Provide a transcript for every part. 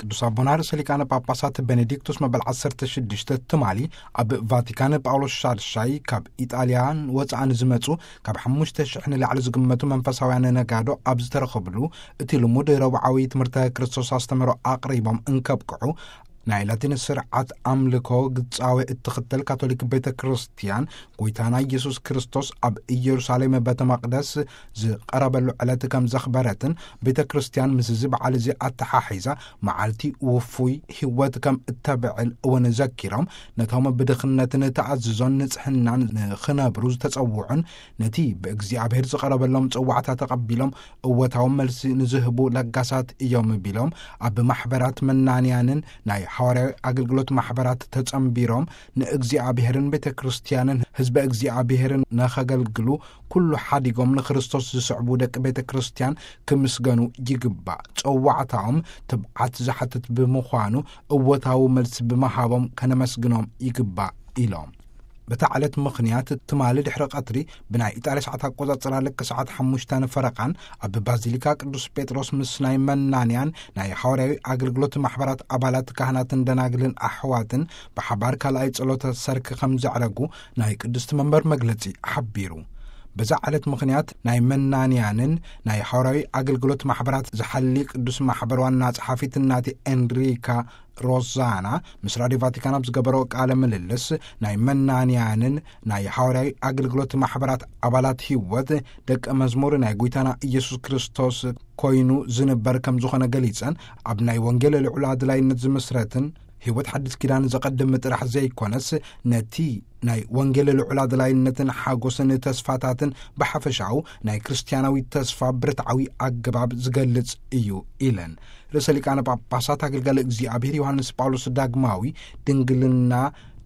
ቅዱስ ኣቦና ርእሰ ሊቃነ ጳጳሳት ቤኔዲክቱስ መበል ዓሰርተ ሽዱሽተ ትማሊ ኣብ ቫቲካን ጳውሎስ ሻድሻይ ካብ ኢጣልያን ወፃእ ንዝመፁ ካብ ሓሙሽተ ሽሕ ንላዕሊ ዝግመቱ መንፈሳውያን ነጋዶ ኣብ ዝተረኸብሉ፣ እቲ ልሙድ ረብዓዊ ትምህርተ ክርስቶስ ኣስተምህሮ ኣቕሪቦም እንከብቅዑ፣ ናይ ላቲን ስርዓት ኣምልኮ ግጻዊ እትኽተል ካቶሊክ ቤተ ክርስቲያን፣ ጎይታና ኢየሱስ ክርስቶስ ኣብ ኢየሩሳሌም ቤተ መቕደስ ዝቐረበሉ ዕለት ከም ዘኽበረትን፣ ቤተ ክርስቲያን ምስዚ በዓል እዚ ኣተሓሒዛ መዓልቲ ውፉይ ህይወት ከም እተብዕል እውን ዘኪሮም፣ ነቶም ብድኽነትን ተኣዝዞን ንጽሕናን ንኽነብሩ ዝተጸውዑን፣ ነቲ ብእግዚኣብሔር ዝቐረበሎም ጽዋዕታ ተቐቢሎም እወታዊ መልሲ ንዝህቡ ለጋሳት እዮም ቢሎም፣ ኣብ ማሕበራት መናንያንን ናይ ሓዋርያዊ ኣገልግሎት ማሕበራት ተጸንቢሮም ንእግዚኣብሔርን ቤተ ክርስቲያንን ህዝበ እግዚኣብሔርን ነኸገልግሉ ኩሉ ሓዲጎም ንክርስቶስ ዝስዕቡ ደቂ ቤተ ክርስቲያን ክምስገኑ ይግባእ። ጸዋዕታኦም ትብዓት ዝሓትት ብምዃኑ እወታዊ መልሲ ብምሃቦም ከነመስግኖም ይግባእ ኢሎም። በታ ዕለት ምኽንያት ትማሊ ድሕሪ ቀትሪ ብናይ ኢጣልያ ሰዓት ኣቆጻጽራ ልክ ሰዓት ሓሙሽተ ፈረቓን ኣብ ባዚሊካ ቅዱስ ጴጥሮስ ምስ ናይ መናንያን ናይ ሓዋርያዊ ኣገልግሎት ማሕበራት ኣባላት ካህናትን ደናግልን ኣሕዋትን ብሓባር ካልኣይ ጸሎተ ሰርክ ከም ዘዕረጉ ናይ ቅድስቲ መንበር መግለጺ ሓቢሩ። በዛ ዕለት ምኽንያት ናይ መናንያንን ናይ ሓዋርያዊ ኣገልግሎት ማሕበራት ዝሓሊ ቅዱስ ማሕበር ዋና ጸሓፊት እናቲ ኤንሪካ ሮዛና ምስ ራዲዮ ቫቲካን ኣብ ዝገበሮ ቃለ ምልልስ፣ ናይ መናንያንን ናይ ሓዋርያዊ ኣገልግሎት ማሕበራት ኣባላት ህይወት ደቀ መዝሙር ናይ ጎይታና ኢየሱስ ክርስቶስ ኮይኑ ዝንበር ከም ዝኾነ ገሊጸን፣ ኣብ ናይ ወንጌል ልዑል ኣድላይነት ዝምስረትን ህይወት ሓድስ ኪዳን ዘቐድም ጥራሕ ዘይኮነስ፣ ነቲ ናይ ወንጌል ልዑል ኣድላይነትን ሓጎስን ተስፋታትን ብሓፈሻኡ ናይ ክርስትያናዊ ተስፋ ብርትዓዊ ኣገባብ ዝገልጽ እዩ ኢለን። ርእሰ ሊቃነ ጳጳሳት ኣገልጋሊ እግዚኣብሔር ዮሃንስ ጳውሎስ ዳግማዊ፣ ድንግልና፣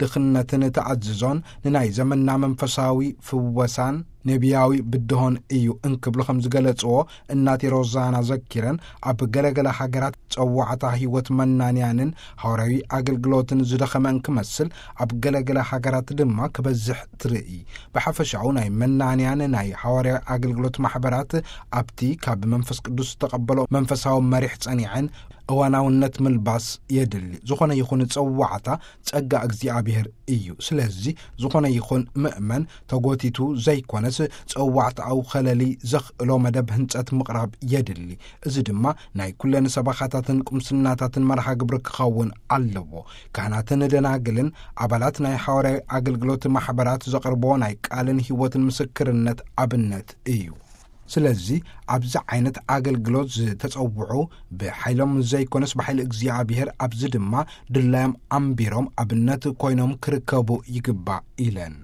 ድኽነትን ተኣዝዞን ንናይ ዘመንና መንፈሳዊ ፍወሳን ነቢያዊ ብድሆን እዩ እንክብሉ ከም ዝገለጽዎ እናቲ ሮዛና ዘኪረን፣ ኣብ ገለገለ ሃገራት ጸዋዕታ ህይወት መናንያንን ሃዋርያዊ ኣገልግሎትን ዝደኸመ እንክመስል፣ ኣብ ገለገለ ሃገራት ድማ ክበዝሕ ትርኢ። ብሓፈሻኡ ናይ መናንያን ናይ ሃዋርያዊ ኣገልግሎት ማሕበራት ኣብቲ ካብ መንፈስ ቅዱስ ዝተቐበሎ መንፈሳዊ መሪሕ ጸኒዐን እዋናውነት ምልባስ የድሊ። ዝኾነ ይኹን ጸዋዕታ ጸጋ እግዚኣብሔር እዩ። ስለዚ ዝኾነ ይኹን ምእመን ተጎቲቱ ዘይኮነስ ጸዋዕታኡ ኸለሊ ዘኽእሎ መደብ ህንጸት ምቕራብ የድሊ። እዚ ድማ ናይ ኩለን ሰበኻታትን ቁምስናታትን መርሃ ግብሪ ክኸውን ኣለዎ። ካህናትን ደናግልን ኣባላት ናይ ሓዋርያዊ ኣገልግሎት ማሕበራት ዘቕርቦ ናይ ቃልን ህይወትን ምስክርነት ኣብነት እዩ። ስለዚ ኣብዚ ዓይነት ኣገልግሎት ዝተጸውዑ ብሓይሎም ዘይኮነስ ብሓይሊ እግዚኣብሔር፣ ኣብዚ ድማ ድላዮም ኣንቢሮም ኣብነት ኮይኖም ክርከቡ ይግባእ ኢለን።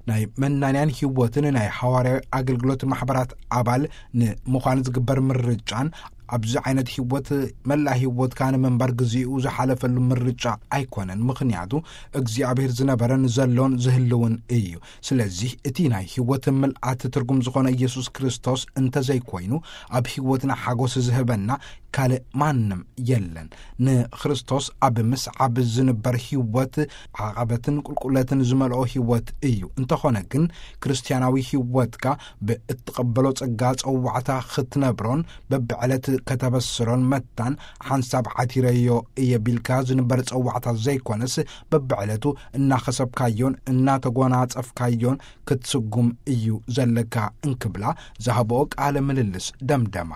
ናይ መናንያን ህይወትን ናይ ሓዋርያዊ ኣገልግሎት ማሕበራት ኣባል ንምዃን ዝግበር ምርጫን ኣብዚ ዓይነት ህይወት መላእ ህይወትካ ንምንባር ግዚኡ ዝሓለፈሉ ምርጫ ኣይኮነን። ምኽንያቱ እግዚኣብሔር ዝነበረን ዘሎን ዝህልውን እዩ። ስለዚህ እቲ ናይ ህይወት ምልኣት ትርጉም ዝኾነ ኢየሱስ ክርስቶስ እንተዘይኮይኑ ኣብ ህይወትና ሓጎስ ዝህበና ካልእ ማንም የለን። ንክርስቶስ ኣብ ምስዓብ ዝንበር ህይወት ዓቐበትን ቁልቁለትን ዝመልኦ ህይወት እዩ። እንተኾነ ግን ክርስትያናዊ ህይወትካ ብእትቐበሎ ጸጋ ጸዋዕታ ክትነብሮን በብዕለት ከተበስሮን መታን ሓንሳብ ዓቲረዮ እየ ቢልካ ዝንበር ጸዋዕታ ዘይኮነስ በብዕለቱ እናኸሰብካዮን እናተጎናጸፍካዮን ክትስጉም እዩ ዘለካ እንክብላ ዝሃብኦ ቃለ ምልልስ ደምደማ።